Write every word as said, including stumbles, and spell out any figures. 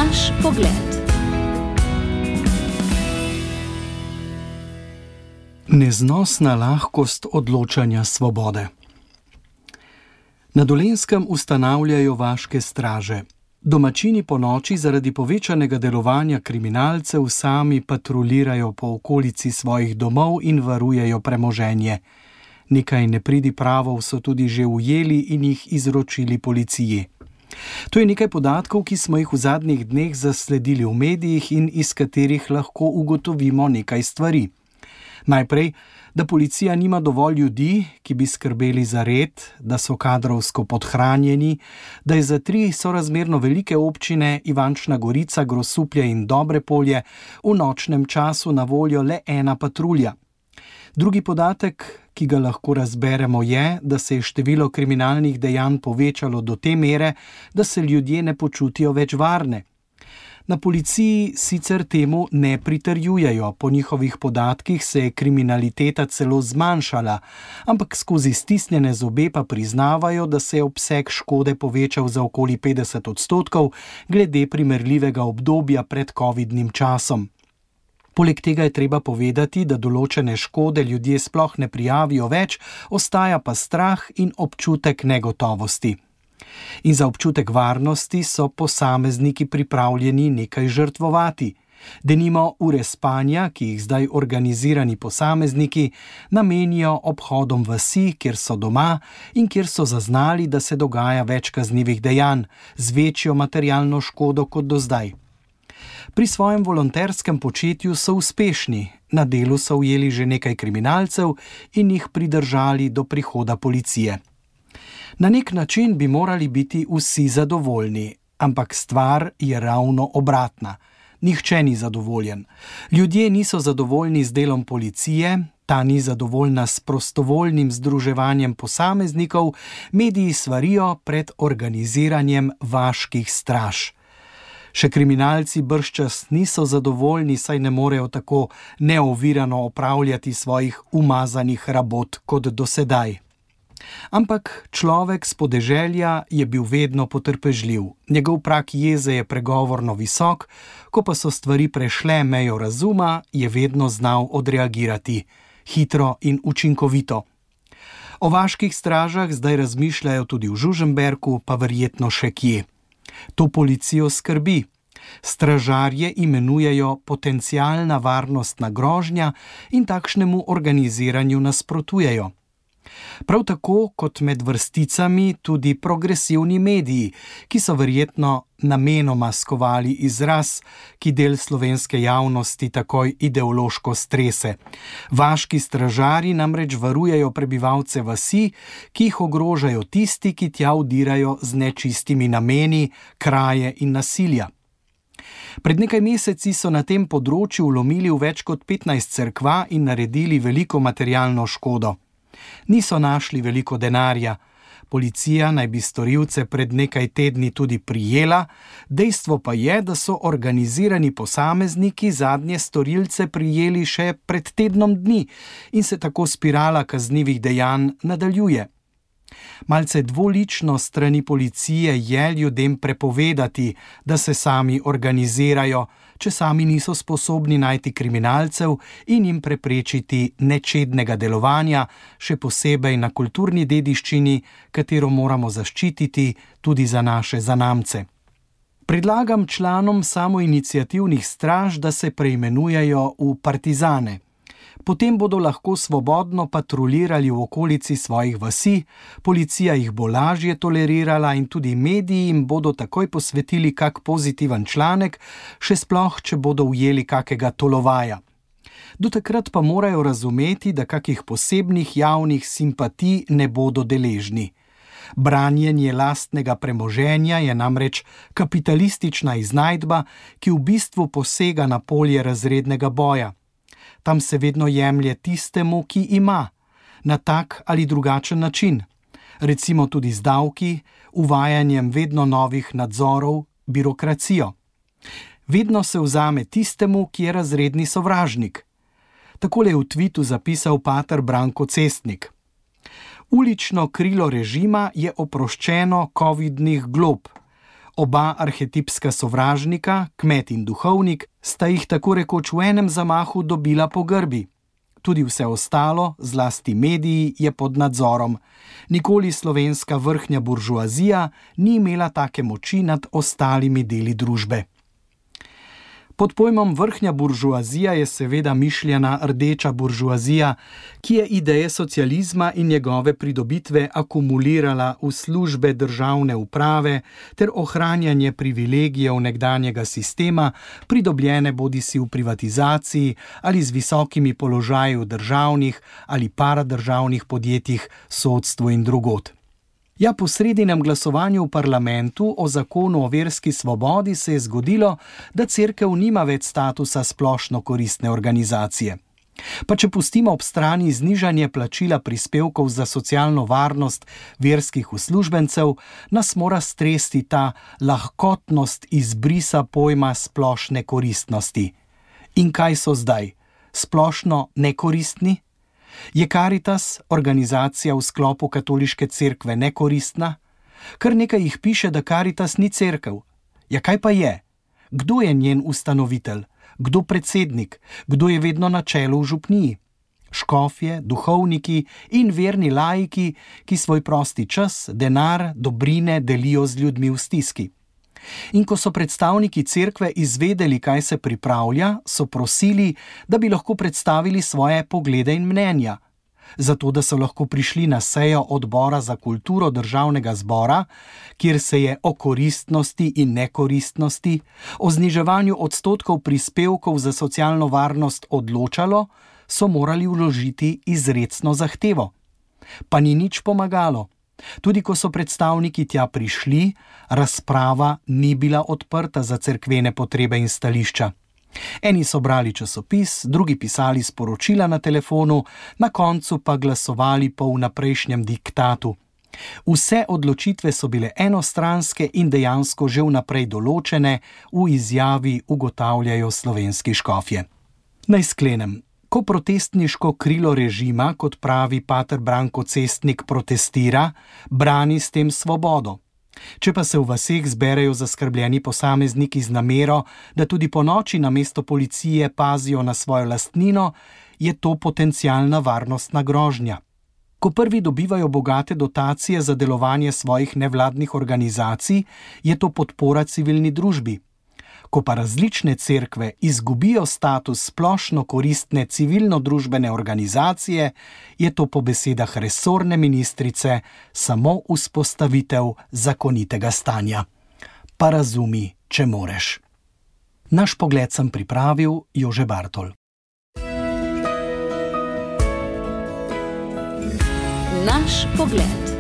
Vaš pogled. Neznosna lahkost odločanja svobode. Na Dolenjskem ustanavljajo vaške straže. Domačini po noči zaradi povečanega delovanja kriminalcev sami patruljirajo po okolici svojih domov in varujejo premoženje. Nekaj nepridipravov so tudi že ujeli in jih izročili policiji. To je nekaj podatkov, ki smo jih v zadnjih dneh zasledili v medijih in iz katerih lahko ugotovimo nekaj stvari. Najprej, da policija nima dovolj ljudi, ki bi skrbeli za red, da so kadrovsko podhranjeni, da je za tri sorazmerno velike občine Ivančna Gorica, Grosuplje in Dobrepolje v nočnem času na voljo le ena patrulja. Drugi podatek, ki ga lahko razberemo, je, da se je število kriminalnih dejanj povečalo do te mere, da se ljudje ne počutijo več varne. Na policiji sicer temu ne pritrjujejo, po njihovih podatkih se je kriminaliteta celo zmanjšala, ampak skozi stisnjene zobe pa priznavajo, da se je obseg škode povečal za okoli petdeset odstotkov glede primerljivega obdobja pred covidnim časom. Poleg tega je treba povedati, da določene škode ljudje sploh ne prijavijo več, ostaja pa strah in občutek negotovosti. In za občutek varnosti so posamezniki pripravljeni nekaj žrtvovati. Denimo ure spanja, ki jih zdaj organizirani posamezniki namenijo obhodom vasi, kjer so doma in kjer so zaznali, da se dogaja več kaznivih dejanj, z večjo materialno škodo kot do zdaj. Pri svojem volonterskem početju so uspešni, na delu so ujeli že nekaj kriminalcev in jih pridržali do prihoda policije. Na nek način bi morali biti vsi zadovoljni, ampak stvar je ravno obratna. Nihče ni zadovoljen. Ljudje niso zadovoljni z delom policije, ta ni zadovoljna s prostovoljnim združevanjem posameznikov, mediji svarijo pred organiziranjem vaških straž. Še kriminalci bržčas niso zadovoljni, saj ne morejo tako neovirano opravljati svojih umazanih rabot kot dosedaj. Ampak človek s podeželja je bil vedno potrpežljiv. Njegov prag jeze je pregovorno visok, ko pa so stvari prešle mejo razuma, je vedno znal odreagirati, hitro in učinkovito. O vaških stražah zdaj razmišljajo tudi v Žužemberku, pa verjetno še kje. To policijo skrbi. Stražarje imenujejo potencialna varnostna grožnja in takšnemu organiziranju nasprotujejo. Prav tako kot med vrsticami tudi progresivni mediji, ki so verjetno namenoma skovali izraz, ki del slovenske javnosti takoj ideološko strese. Vaški stražarji namreč varujejo prebivalce vasi, ki jih ogrožajo tisti, ki tja vdirajo z nečistimi nameni, kraje in nasilja. Pred nekaj meseci so na tem področju vlomili v več kot petnajst cerkva in naredili veliko materialno škodo. Niso našli veliko denarja. Policija naj bi storilce pred nekaj tedni tudi prijela, dejstvo pa je, da so organizirani posamezniki zadnje storilce prijeli še pred tednom dni in se tako spirala kaznivih dejanj nadaljuje. Malce dvolično strani policije je ljudem prepovedati, da se sami organizirajo, če sami niso sposobni najti kriminalcev in jim preprečiti nečednega delovanja, še posebej na kulturni dediščini, katero moramo zaščititi tudi za naše zanamce. Predlagam članom samoiniciativnih straž, da se preimenujejo v partizane. Potem bodo lahko svobodno patruljirali v okolici svojih vasi, policija jih bo lažje tolerirala in tudi mediji jim bodo takoj posvetili kak pozitiven članek, še sploh, če bodo ujeli kakega tolovaja. Do takrat pa morajo razumeti, da kakih posebnih javnih simpatij ne bodo deležni. Branjenje lastnega premoženja je namreč kapitalistična iznajdba, ki v bistvu posega na polje razrednega boja. Tam se vedno jemlje tistemu, ki ima, na tak ali drugačen način. Recimo tudi z davki, uvajanjem vedno novih nadzorov, birokracijo. Vedno se vzame tistemu, ki je razredni sovražnik. Takole je v tvitu zapisal pater Branko Cestnik. Ulično krilo režima je oproščeno covidnih glob. Oba arhetipska sovražnika, kmet in duhovnik, sta jih tako rekoč v enem zamahu dobila po grbi. Tudi vse ostalo, zlasti mediji, je pod nadzorom. Nikoli slovenska vrhnja buržoazija ni imela take moči nad ostalimi deli družbe. Pod pojmom vrhnja buržoazija je seveda mišljena rdeča buržoazija, ki je ideje socializma in njegove pridobitve akumulirala v službe državne uprave ter ohranjanje privilegijev nekdanjega sistema, pridobljene bodisi v privatizaciji ali z visokimi položaji v državnih ali paradržavnih podjetjih, sodstvu in drugod. Ja, po sredinem glasovanju v parlamentu o zakonu o verski svobodi se je zgodilo, da cerkev nima več statusa splošno koristne organizacije. Pa če pustimo ob strani znižanje plačila prispevkov za socialno varnost verskih uslužbencev, nas mora stresti ta lahkotnost izbrisa pojma splošne koristnosti. In kaj so zdaj? Splošno nekoristni? Je Karitas, organizacija v sklopu katoliške cerkve, nekoristna? Kar nekaj jih piše, da Karitas ni cerkev. Ja, kaj pa je? Kdo je njen ustanovitelj? Kdo predsednik? Kdo je vedno na čelu v župniji? Škofje, duhovniki in verni laiki, ki svoj prosti čas, denar, dobrine delijo z ljudmi v stiski. In ko so predstavniki cerkve izvedeli, kaj se pripravlja, so prosili, da bi lahko predstavili svoje poglede in mnenja. Zato, da so lahko prišli na sejo odbora za kulturo državnega zbora, kjer se je o koristnosti in nekoristnosti, o zniževanju odstotkov prispevkov za socialno varnost odločalo, so morali vložiti izrecno zahtevo. Pa ni nič pomagalo. Tudi ko so predstavniki tja prišli, razprava ni bila odprta za cerkvene potrebe in stališča. Eni so brali časopis, drugi pisali sporočila na telefonu, na koncu pa glasovali po vnaprejšnjem diktatu. Vse odločitve so bile enostranske in dejansko že vnaprej določene, v izjavi ugotavljajo slovenski škofje. Naj sklenem. Ko protestniško krilo režima, kot pravi pater Branko Cestnik, protestira, brani s tem svobodo. Če pa se v vaseh zberejo zaskrbljeni posamezniki z namero, da tudi po noči namesto policije pazijo na svojo lastnino, je to potencialna varnostna grožnja. Ko prvi dobivajo bogate dotacije za delovanje svojih nevladnih organizacij, je to podpora civilni družbi. Ko pa različne cerkve izgubijo status splošno koristne civilno-družbene organizacije, je to po besedah resorne ministrice samo vzpostavitev zakonitega stanja. Pa razumi, če moreš. Naš pogled sem pripravil Jože Bartol. Naš pogled.